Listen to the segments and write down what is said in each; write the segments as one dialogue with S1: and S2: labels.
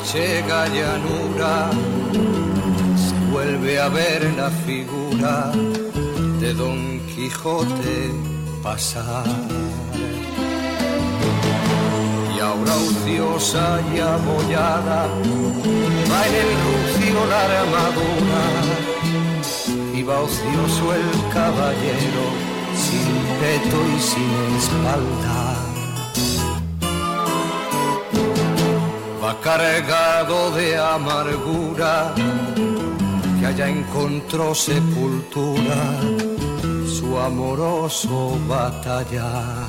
S1: manchega llanura se vuelve a ver la figura de Don Quijote pasar. Y ahora ociosa y abollada va en el rucio la armadura y va ocioso el caballero sin peto y sin espalda. Va cargado de amargura que allá encontró sepultura su amoroso batallar.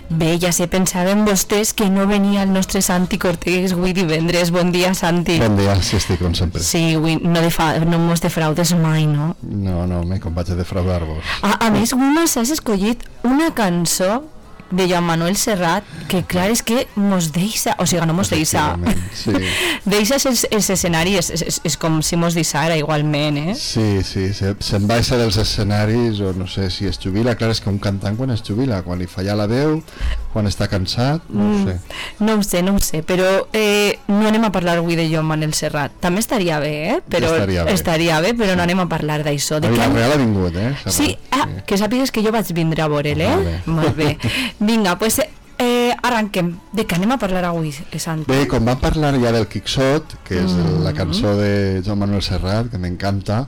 S2: Bé, ja sé, pensàvem vostès que no venia el nostre Santi Cortés avui divendres. Bon dia, Santi.
S3: Bon dia, sí, estic com sempre.
S2: Sí, avui no mos defraudes mai, no?
S3: No, com vaig a defraudar-vos.
S2: A més, avui m'has escollit una cançó de Joan Manuel Serrat que, clar, és que mos deixa, o sigui, no mos deixa,
S3: sí.
S2: Deixa els escenaris, és com si mos deixara igualment, eh?
S3: Sí, se'n baixa dels escenaris, o no sé si es jubila. Clar, és que un cantant quan es jubila, quan li falla la veu, quan està cansat, no ho sé.
S2: No ho sé, però no anem a parlar avui de Joan Manuel Serrat. També estaria bé, però no anem a parlar d'això.
S3: A Vila-real ha vingut,
S2: Serrat. Sí, que sàpigues que jo vaig vindre a veure'l, Molt bé. Vinga, doncs arranquem. De què anem a parlar avui, Santi?
S3: Bé, com vam parlar ja del Quixot, que és la cançó de Joan Manuel Serrat, que m'encanta,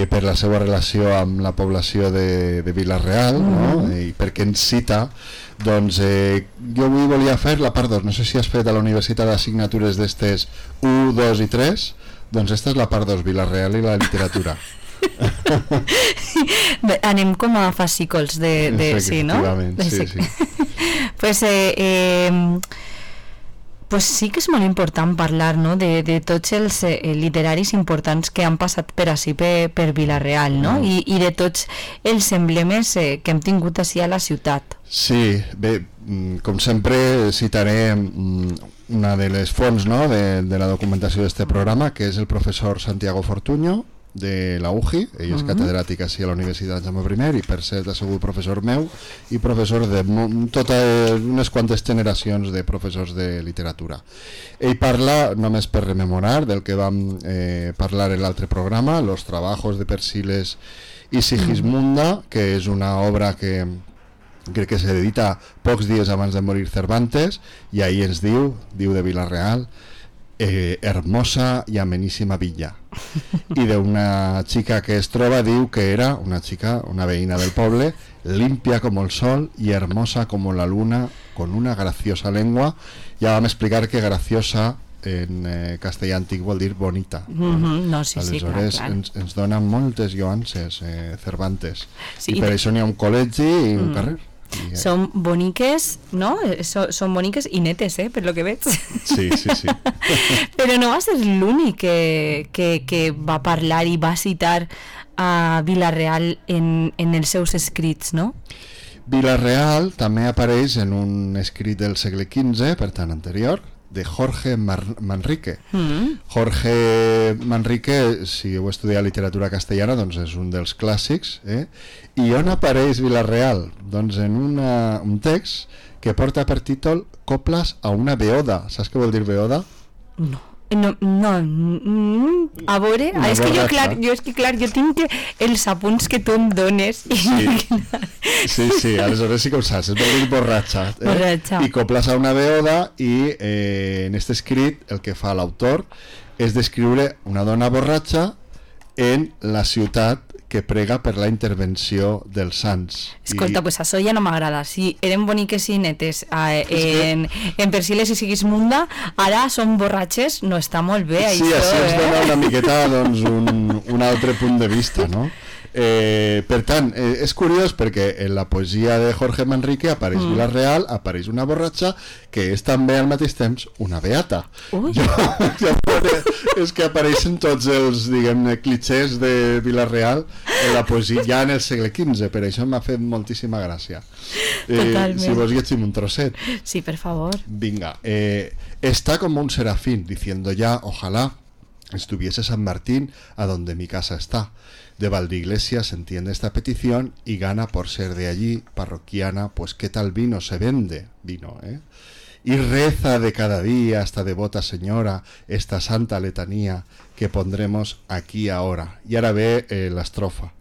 S3: per la seva relació amb la població de Vila-real, no? I perquè ens cita, doncs jo avui volia fer la part 2. No sé si has fet a la Universitat d'assignatures d'estes 1, 2 i 3, doncs esta és la part 2, Vila-real i la literatura.
S2: Anem com a fascícols de sí, no?
S3: Sí.
S2: Pues sí que és molt important parlar, no? de tots els literaris importants que han passat per ací, per Vila-real, no? I de tots els emblemes que hem tingut ací a la ciutat.
S3: Sí, bé, com sempre citaré una de les fonts, no? de la documentació d'aquest programa, que és el professor Santiago Fortuño, de la UJI. Ell és catedràtic així a la Universitat Jaume I i per cert ha sigut professor meu i professor de totes unes quantes generacions de professors de literatura. Ell parla, només per rememorar, del que vam parlar en l'altre programa, Los trabajos de Persiles i Sigismunda, que és una obra que crec que s'edita pocs dies abans de morir Cervantes, i ahí ens diu de Vila-real, hermosa y amenísima villa, y de una chica que es troba diu que era una veïna del poble, limpia como el sol y hermosa como la luna, con una graciosa lengua. Ja vam explicar que graciosa en castellà antic vol dir bonita. Aleshores ens dona moltes lloances Cervantes, i per això n'hi ha un col·legi i un carrer.
S2: Són boniques, no? Són boniques i netes, per lo que veig.
S3: Sí.
S2: Però no va ser l'únic que va parlar i va citar a Vila-real en els seus escrits, no?
S3: Vila-real també apareix en un escrit del segle XV, per tant anterior, de Jorge Manrique. Jorge Manrique, si heu estudiat literatura castellana, doncs és un dels clàssics, I on apareix Vila-real? Doncs en un text que porta per títol Coples a una beoda. Saps què vol dir beoda?
S2: No. A veure, és que clar, jo tinc els apunts que tu em dones.
S3: Sí, aleshores sí que ho saps, és vol dir borratxa. I coples a una beoda, i en aquest escrit el que fa l'autor és descriure una dona borratxa en la ciutat que prega per la intervenció dels sants.
S2: Escolta, pues això ja no m'agrada. Si eren boniques i netes en Persiles i Sigismunda, ara són borratxes, no està molt bé això.
S3: Sí, així ens dona una miqueta un altre punt de vista, no? Per tant, és curiós perquè en la poesia de Jorge Manrique apareix Vila-real, apareix una borratxa que és també al mateix temps una beata. És que apareixen tots els, diguem-ne, clichés de Vila-real en la poesia ja en el segle XV, per això m'ha fet moltíssima gràcia. Si vos llegim un trosset.
S2: Sí, per favor.
S3: Vinga. Está como un serafín diciendo ya, ojalá estuviese San Martín a donde mi casa está. De Valdeiglesias entiende esta petición y gana por ser de allí, parroquiana, pues qué tal vino se vende, vino, y reza de cada día esta devota señora, esta santa letanía que pondremos aquí ahora. Y ahora ve la estrofa.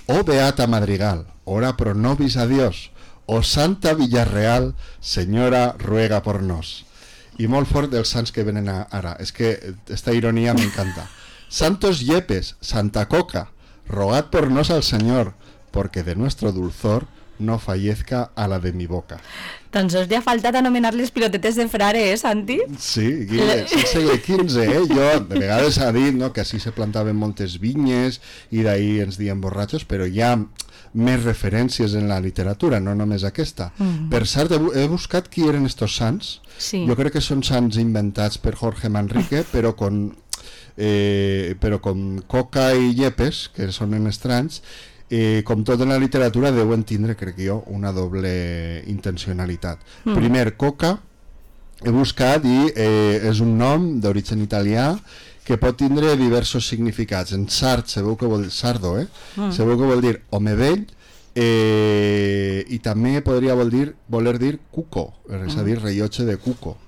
S3: Oh Beata Madrigal, ora pro nobis a Dios. Oh Santa Villarreal, senyora, ruega por nos. I molt fort dels sants que venen ara. És que esta ironia m'encanta. Santos Yepes, Santa Coca, rogad por nos al Señor, porque de nuestro dulzor no fallezca a la de mi boca.
S2: Tan sols li ha faltat anomenar les pilotetes de frare, Santi?
S3: Sí, és el segle XV, Jo de vegades ha dit, no, que així se plantaven moltes vinyes i d'ahir ens diem borratxos, però hi ha més referències en la literatura, no només aquesta. Per cert, he buscat qui eren estos sants.
S2: Sí.
S3: Jo crec que són sants inventats per Jorge Manrique, però con Coca i Yepes, que sonen estranys, com tot en la literatura deuen tindre, crec jo, una doble intencionalitat. Primer, Coca, he buscat i és un nom d'origen italià que pot tindre diversos significats. En sard, sabeu que vol dir sardo, sabeu que vol dir home vell, i també podria voler dir cuco, és a dir, rellotge de cuco.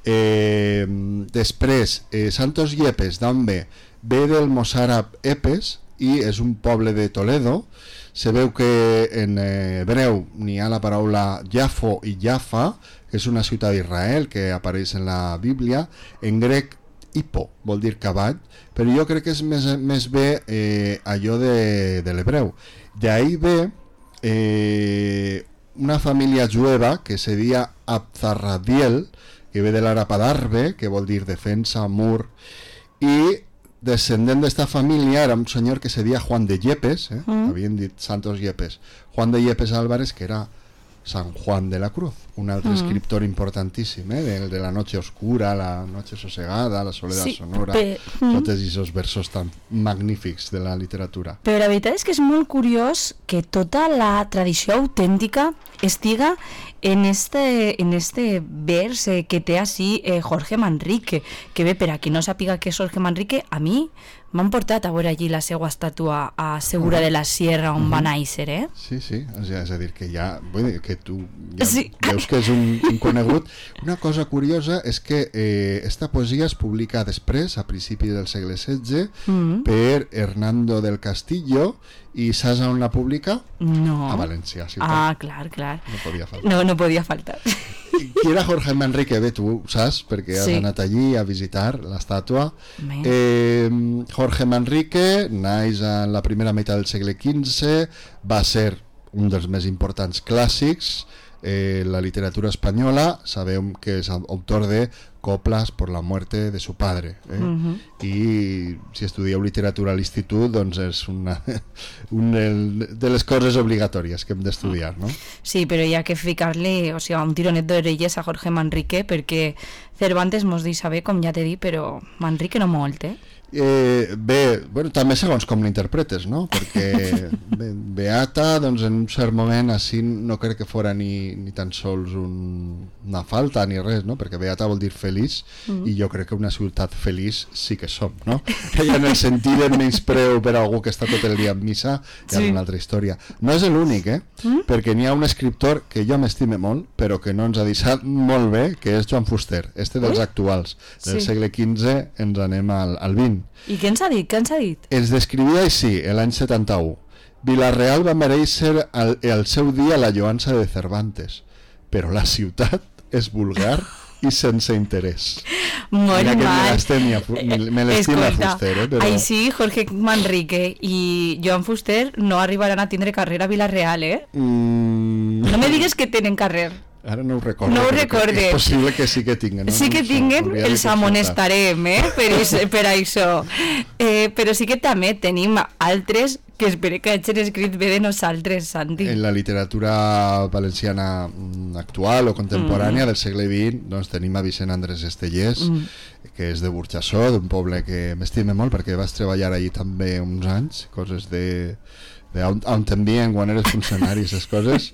S3: Després, Santos Yepes, d'on ve? Ve del mossàrab Epes i és un poble de Toledo. Sabeu que en hebreu n'hi ha la paraula Jafo i Jaffa, que és una ciutat d'Israel que apareix en la Bíblia. En grec, hippo, vol dir cavall, però jo crec que és més bé allò de l'hebreu. D'ahí ve una família jueva que se deia Abzarradiel, que ve de l'àrab adarbe, que vol dir defensa, mur, i descendent d'esta família era un senyor que se deia Juan de Yepes, havien dit Santos Yepes, Juan de Yepes Álvarez, que era San Juan de la Cruz, un altre escriptor importantíssim, de la noche oscura, la noche sosegada, la soledad sonora, tots aquests versos tan magnífics de la literatura.
S2: Però la veritat és que és molt curiós que tota la tradició autèntica estiga en este vers que té així Jorge Manrique, que bé, per a qui no sàpiga què és Jorge Manrique, a mi m'han portat a veure allí la seva estàtua a Segura de la Sierra on va néixer,
S3: Sí, és a dir, que ja, vull dir, que tu ja veus que és un conegut. Una cosa curiosa és que esta poesia es publica després, a principis del segle XVI, per Hernando del Castillo, i saps on la publica?
S2: No.
S3: A València, ciutat.
S2: Ah, clar.
S3: No podia faltar.
S2: No podia faltar.
S3: Qui era Jorge Manrique? Bé, tu saps, perquè has anat allí a visitar l'estàtua. Jorge Manrique naix en la primera meitat del segle XV, va ser un dels més importants clàssics la literatura espanyola. Sabeu que és autor de Coplas por la muerte de su padre, i si estudieu literatura a l'institut, doncs és una de les coses obligatòries que hem d'estudiar, no?
S2: Sí, però hi ha que ficar-li, o sigui, un tironet d'orelles a Jorge Manrique, perquè Cervantes mos deixa bé, com ja t'he dit, però Manrique no molt,
S3: Bé, bueno, també segons com l'interpretes, no? Perquè Beata, doncs en un cert moment així no crec que fora ni tan sols una falta ni res, no? Perquè Beata vol dir feliç, i jo crec que una ciutat feliç sí que som, no? I en el sentit de menyspreu per algú que està tot el dia en missa, hi ha una altra història. No és l'únic, perquè n'hi ha un escriptor que jo m'estime molt, però que no ens ha deixat molt bé, que és Joan Fuster, dels actuals, del segle XV, ens anem al XX.
S2: I què ens ha dit?
S3: Ens descrivia així, l'any 71. Vilareal va mereixer al seu dia la lloança de Cervantes, però la ciutat és vulgar i sense interès.
S2: Molt mal.
S3: Me l'estima Fuster, però...
S2: Així Jorge Manrique i Joan Fuster no arribaran a tindre carrera a Vilareal, No me digues que tenen carrer.
S3: Ara no ho recordo.
S2: No ho recorde.
S3: És possible que sí que tinguen.
S2: Sí que tinguen, els amonestarem, per això. Però sí que també tenim altres que espero que hagin escrit bé de nosaltres, Santi.
S3: En la literatura valenciana actual o contemporània del segle XX, doncs tenim a Vicent Andrés Estellés, que és de Burjassó, d'un poble que m'estime molt perquè vas treballar allí també uns anys, coses on t'envien quan eres funcionari, aquestes coses,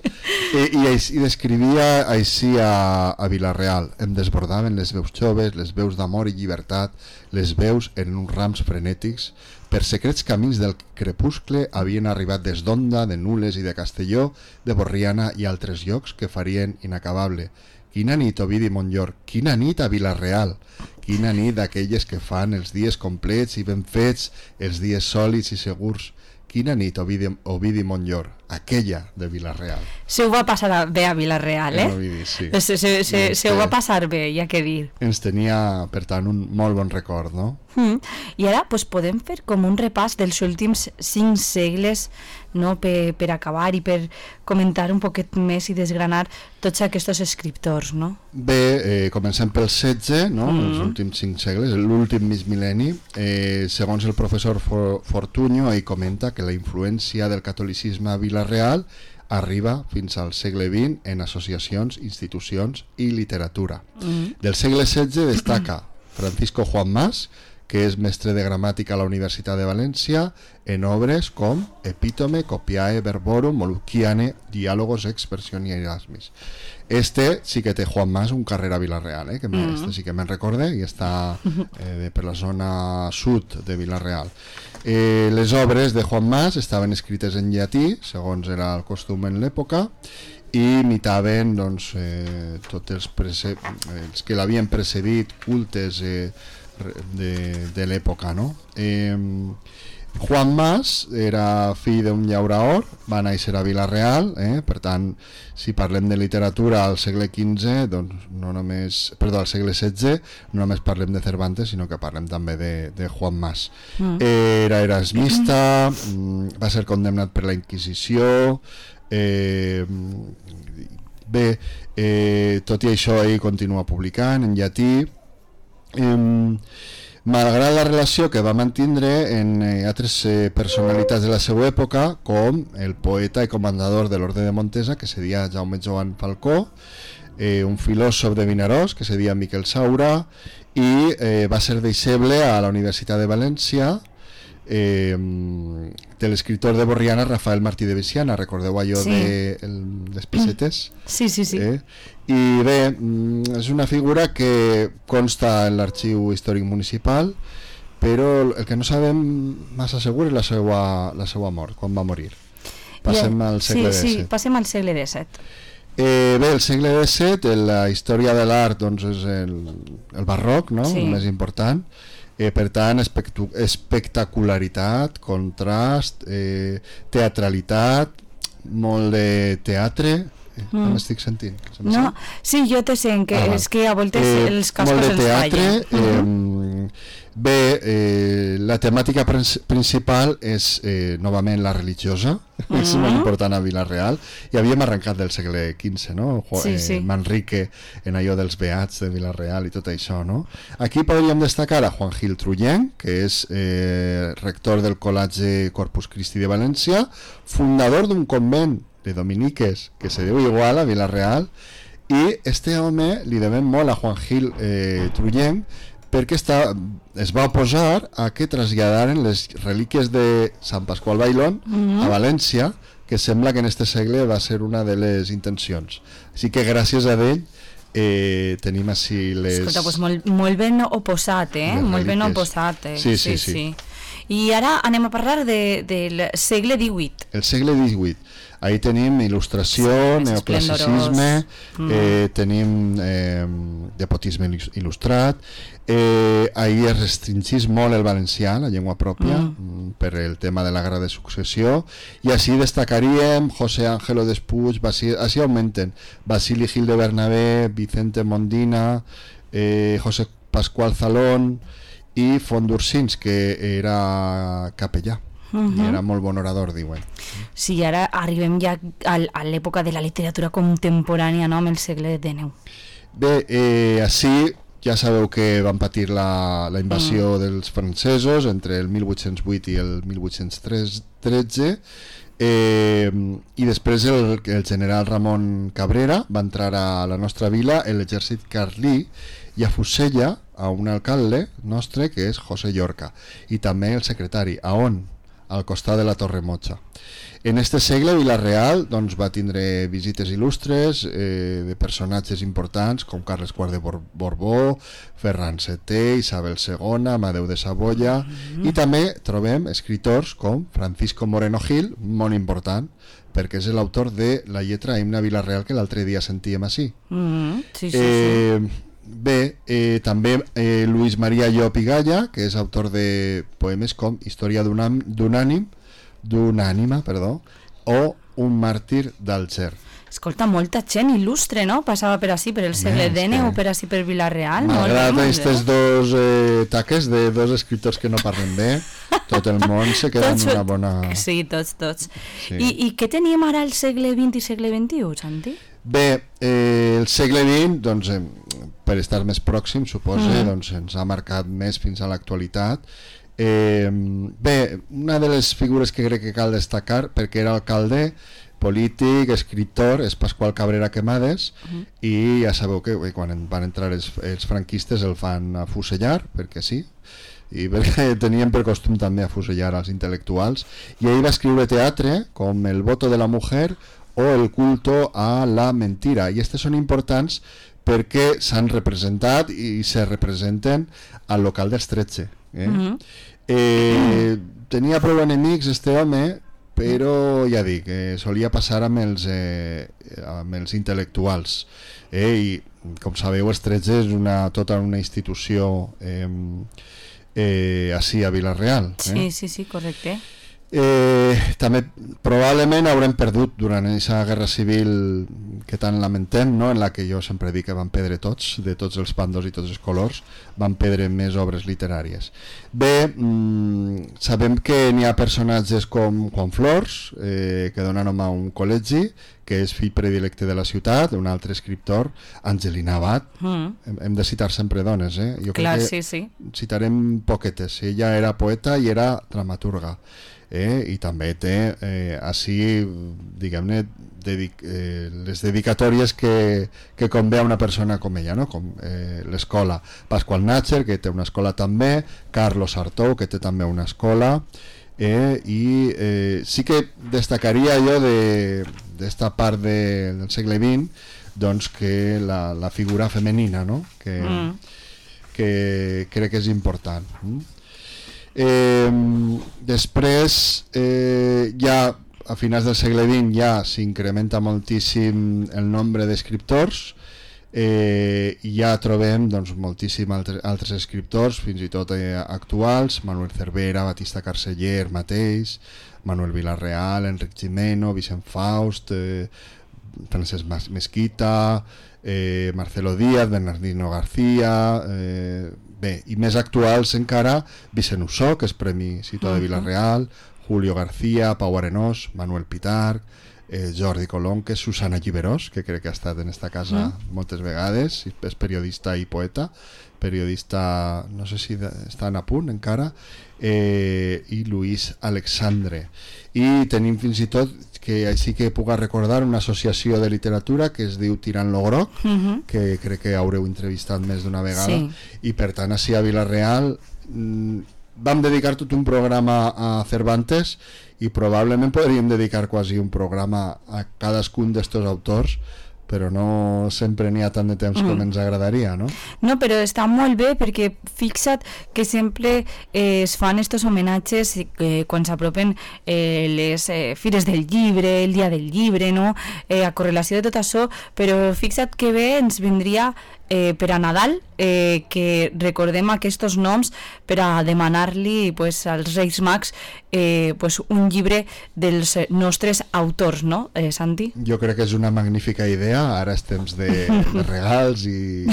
S3: i descrivia així a Vilareal. Em desbordaven les veus joves, les veus d'amor i llibertat, les veus en uns rams frenètics. Per secrets camins del crepuscle havien arribat des d'Onda, de Nules i de Castelló, de Borriana i altres llocs que farien inacabable. Quina nit, Ovidi Montllor, quina nit a Vila-real, quina nit d'aquelles que fan els dies complets i ben fets, els dies sòlids i segurs. Quina nit, Ovidi Montllor, aquella de Vila-real.
S2: Se ho va passar bé a Vila-real, eh?
S3: Ovidi, sí.
S2: Se ho va passar bé, hi ha que dir.
S3: Ens tenia, per tant, un molt bon record, no?
S2: I ara pues, podem fer com un repàs dels últims 5 segles, no? per acabar i per comentar un poquet més i desgranar tots aquests escriptors, no?
S3: Bé, comencem pel 16, no? Els últims 5 segles, l'últim mig mil·lenni. Segons el professor Fortuño, ell comenta que la influència del catolicisme a Vila-real arriba fins al segle XX en associacions, institucions i literatura. Del segle XVI destaca Francisco Juan Mas, que és mestre de gramàtica a la Universitat de València, en obres com Epítome, Copiae, Verborum, Molucchiane, Diálogos, Expresión y Erasmis. Este sí que té Juan Mas un carrer a Vila-real, que este sí que me'n recorde, i està per la zona sud de Vila-real. Les obres de Juan Mas estaven escrites en llatí, segons era el costum en l'època, i imitaven doncs, tots els que l'havien precedit, cultes de l'època, no? Juan Mas era fill d'un llauraor, va néixer a Vila-real, per tant, si parlem de literatura al segle XV, doncs no només, perdó, al segle XVI, no només parlem de Cervantes, sinó que parlem també de Juan Mas. Era erasmista, va ser condemnat per la Inquisició, bé, tot i això ell continua publicant en llatí, malgrat la relació que va mantindre en altres personalitats de la seva època, com el poeta i comandador de l'Orde de Montesa, que se deia Jaume Joan Falcó, un filòsof de Vinaròs, que se deia Miquel Saura, i va ser deixeble a la Universitat de València de l'escriptor de Borriana, Rafael Martí de Veciana. Recordeu allò de les pessetes?
S2: Sí.
S3: I bé, és una figura que consta en l'arxiu històric municipal, però el que no sabem massa segur és la seva mort, quan va morir. Passem al segle XVII.
S2: Sí, passem al segle XVII.
S3: Bé, el segle XVII, la història de l'art doncs, és el barroc, no? El més important. Per tant, espectacularitat, contrast, teatralitat, molt de teatre. M'estic sentint?
S2: No, sí, jo te sent, que és que a voltes els cascos els fallen.
S3: Bé, la temàtica principal és novament la religiosa, és molt important a Vila-real, i havíem arrencat del segle XV, no? Manrique en allò dels beats de Vila-real i tot això, no? Aquí podríem destacar a Juan Gil Trullent, que és rector del Col·legi Corpus Christi de València, fundador d'un convent de dominiques que se diu igual a Vila-real, i este home li devem molt a Juan Gil Trullent, perquè es va oposar a que traslladaren les relíquies de Sant Pasqual Bailón a València, que sembla que en este segle va ser una de les intencions. Així que gràcies a ell tenim així les...
S2: Escolta, doncs molt ben oposat, molt ben oposat. Sí. I ara anem a parlar del segle XVIII.
S3: El segle XVIII. Ahí tenim il·lustració, neoclassicisme, tenim despotisme il·lustrat, ahí es restringís molt el valencià, la llengua pròpia, per el tema de la guerra de successió, i així destacaríem José Ángelo Despuig, així augmenten, Basili Gil de Bernabé, Vicente Mondina, José Pascual Zalón i Font d'Ursins, que era capellà. I era molt bon orador, diuen.
S2: Sí, ara arribem ja a l'època de la literatura contemporània, no?, amb el segle XIX.
S3: Bé, així ja sabeu que van patir la invasió dels francesos entre el 1808 i el 1813, i després el general Ramon Cabrera va entrar a la nostra vila en l'exèrcit carlí i afusella a un alcalde nostre que és José Llorca, i també el secretari, a on? al costat de la Torre Mocha. En este segle Vila-real doncs, va tindre visites il·lustres de personatges importants com Carles IV de Borbó, Ferran VII, Isabel II, Amadeu de Saboya, i també trobem escriptors com Francisco Moreno Gil, molt important, perquè és l'autor de la lletra Himne a Vila-real que l'altre dia sentíem així.
S2: Sí.
S3: Bé, també Luis María Llop i Galla, que és autor de poemes com Història d'una ànima, o Un màrtir d'Alger.
S2: Escolta, molta gent il·lustre, no? Passava per així, per el segle XIX o per així per Vila-real.
S3: Malgrat aquestes dos taques de dos escriptors que no parlen bé, tot el món se queda en una bona...
S2: Sí, tots. Sí. I què teníem ara al segle XX i segle XXI, Santi?
S3: Bé, el segle XX, doncs, per estar més pròxim, suposa, doncs, ens ha marcat més fins a l'actualitat. Bé, una de les figures que crec que cal destacar, perquè era alcalde, polític, escriptor, és Pasqual Cabrera Quemades, i ja sabeu que quan van entrar els franquistes el fan afusellar, perquè sí, i perquè tenien per costum també afusellar als intel·lectuals, i ell va escriure teatre com El voto de la mujer o El culto a la mentira, i aquestes són importants perquè s'han representat i se representen al local dels 13. Tenia prou enemics este home, però ja dic, solia passar amb els intel·lectuals, i com sabeu els 13 és tota una institució així a Vila-real.
S2: Sí, correcte.
S3: També probablement haurem perdut durant aquesta guerra civil que tant lamentem, no? En la que jo sempre dic que van perdre tots, de tots els bandos i tots els colors, van perdre més obres literàries. Bé, sabem que n'hi ha personatges com Juan Flors, que dona nom a un col·legi, que és fill predilecte de la ciutat, un altre escriptor, Angelina Abad. Hem de citar sempre dones, jo
S2: clar,
S3: crec que
S2: sí.
S3: Citarem poquetes. Ella era poeta i era dramaturga. I també té així, diguem-ne, les dedicatòries que convé a una persona com ella, no? Com l'escola Pasqual Natcher, que té una escola també, Carlos Artou, que té també una escola, i sí que destacaria jo d'esta part del segle XX, doncs, que la figura femenina, no? Que crec que és important. Després ja a finals del segle XX ja s'incrementa moltíssim el nombre d'escriptors, i ja trobem doncs, moltíssim altres escriptors, fins i tot actuals, Manuel Cervera, Batista Carceller mateix, Manuel Vila-real, Enric Gimeno, Vicent Faust, Francesc Mesquita, Marcelo Díaz, Bernardino García, bé, i més actuals encara, Vicent Ussó, que és Premi Ciutat de Vila-real, Julio García, Pau Arenós, Manuel Pitarch, Jordi Colonque, Susana Lliberós, que crec que ha estat en esta casa moltes vegades, és periodista i poeta, periodista, no sé si estan a punt encara, i Luis Alexandre. I tenim fins i tot, que així que puc recordar, una associació de literatura que es diu Tirant lo Groc, que crec que haureu entrevistat més d'una vegada, i per tant així a Vila-real vam dedicar tot un programa a Cervantes, i probablement podríem dedicar quasi un programa a cadascun d'estos autors, però no sempre n'hi ha tant de temps com ens agradaria, no?
S2: No, però està molt bé, perquè fixa't que sempre es fan estos homenatges quan s'apropen les fires del llibre, el dia del llibre, no? A correlació de tot això, però fixa't que bé ens vindria per a Nadal que recordem aquests noms per a demanar-li pues, als Reis Mags pues, un llibre dels nostres autors, no, Santi?
S3: Jo crec que és una magnífica idea. Ara és temps de regals i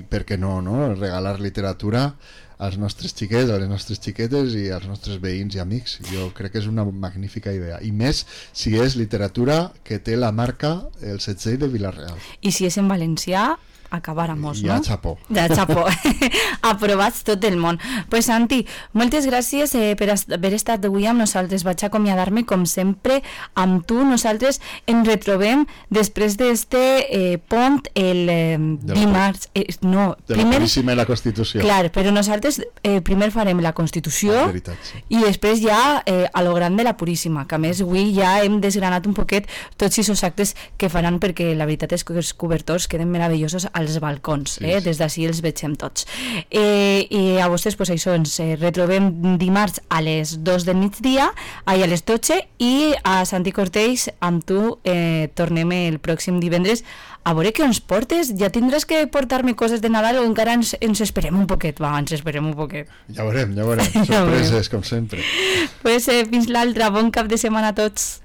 S3: per què no, regalar literatura als nostres xiquets, a les nostres xiquetes i als nostres veïns i amics. Jo crec que és una magnífica idea, i més si és literatura que té la marca El Setxell de Vila-real.
S2: I si és en valencià, acabáramos,
S3: ja,
S2: no?
S3: xapó.
S2: Ja, xapó. Aprovats tot el món. Pues Santi, moltes gràcies per haver estat avui amb nosaltres. Vaig acomiadar-me, com sempre, amb tu. Nosaltres ens retrobem després d'este pont el dimarts. No,
S3: de
S2: primer...
S3: la Puríssima i la Constitució.
S2: Clar, però nosaltres primer farem la Constitució
S3: Veritat, sí.
S2: i després ja a lo gran de la Puríssima, que a més avui ja hem desgranat un poquet tots aquests actes que faran, perquè la veritat és que els cobertors queden meravellosos als balcons,
S3: sí.
S2: Des d'ací els vegem tots. I a vostès, pues això, ens retrobem dimarts a les 2 del migdia, a les 12, i a Santi Cortells, amb tu, tornem el pròxim divendres a veure què ens portes. Ja tindràs que portar-me coses de Nadal o encara ens esperem un poquet? Va, ens esperem un poquet.
S3: Ja veurem. Sorpreses, com sempre.
S2: Pues fins l'altra. Bon cap de setmana a tots.